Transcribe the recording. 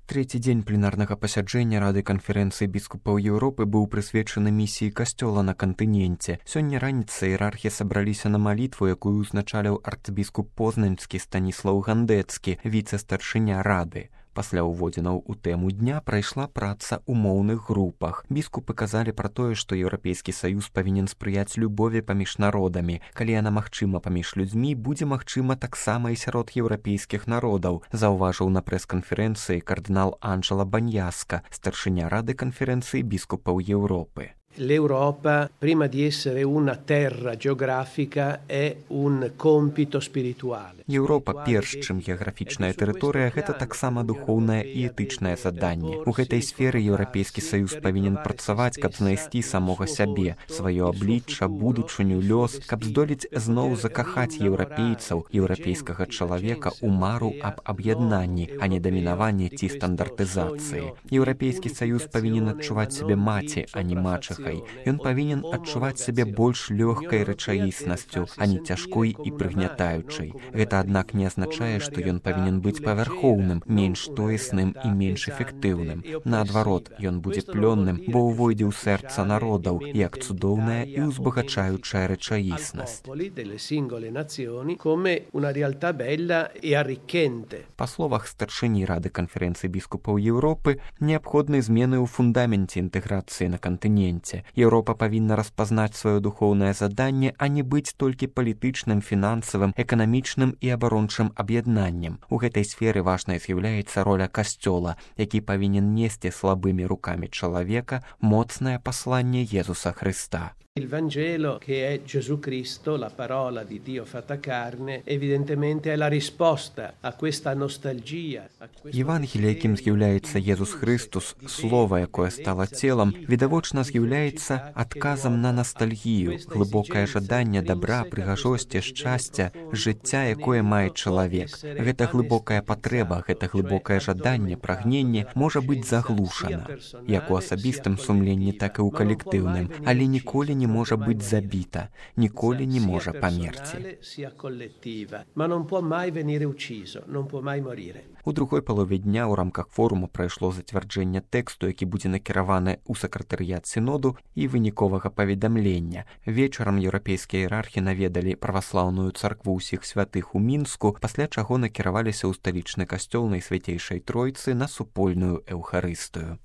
Трэці дзень пленарнага пасяджэння Рады канферэнцыі біскупаў Еўропы быў прысвечаны місіі касцёла на кантыненце. Сёння раніцай іерархі сабраліся на малітву, якую ўзначаліў арцбіскуп Познаньскі Станіслаў Гандэцкі, віцэ-старшыня Рады. Пасля ўводзінаў у тэму дня прайшла праца ў моўных групах. Біскупы казалі пра тое, што Еўрапейскі саюз павінен спрыяць любові паміж народамі. Калі яна магчыма паміж людзьмі, будзе магчыма таксама і сярод еўрапейскіх народаў, заўважыў на прэс-канферэнцыі кардынал Анджела Баньяска, старшыня Рады канферэнцыі біскупаў Еўропы. L'Europa, prima di essere una terra geografica, è un compito spirituale. Еўропа, перш чым геаграфічная тэрыторыя, гэта таксама духоўнае і этычнае заданне. У гэтай сферы Еўрапейскі саюз павінен працаваць, каб знайсці самога сябе, сваё аблічча, будучыню, лёс, каб здолець зноў закахаць еўрапейцаў, еўрапейскага чалавека ў мару аб аб'яднанні, а не дамінаванні ці стандартызацыі. Еўрапейскі саюз павінен адчуваць сябе маці, а не мачыхай. Ён павінен адчуваць сябе больш лёгкай рэчаіснасцю, а не цяжкой і прыгнятаючай. Гэта, аднак, не азначае, што ён павінен быць павярхоўным, менш тоесным і менш эфектыўным. Наадварот, ён будзе плённым, бо ўвойдзе ў сэрца народаў, як цудоўная і ўзбагачаючая рэчаіснасць. Па словах старшыні Рады канферэнцыі біскупаў Еўропы, неабходны змены ў фундаменце інтэграцыі на кантыненце. Еўропа павінна распазнаць сваё духоўнае заданне, а не быць толькі палітычным, фінансавым, эканамічным і абарончым аб'яднаннем. У гэтай сферы важнай з'яўляецца роля касцёла, які павінен несці слабымі рукамі чалавека моцнае пасланне Єзуса Христа. Il Vangelo, che è Gesù Cristo, la parola di Dio fatta carne, evidentemente è la risposta a questa nostalgia. Євангеліє, яким з'яўляецца Єзус Христос, слова, якое стало целом, відавочна з'яўляецца адказам на ностальгію, глыбокае жаданне дабра, прыгажосці, шчасця, жыцця, якое мае чалавек. Гэта глыбокая патрэба, гэта глыбокае жаданне, прагненне можа быць заглушана, як у асабістым сумленні, так і ў калектыўным, але ніколі не можа быць забіта, ніколі не можа памерці. У другой палове дня ў рамках форуму прайшло зацвярджэнне тэксту, які будзе накіраваны ў сакратарыят сіноду і выніковага паведамлення. Вечарам еўрапейскія іерархі наведалі праваслаўную царкву ўсіх святых у Мінску, пасля чаго накіраваліся ў сталічны касцёл Найсвяцейшай Тройцы на супольную эўхарыстыю.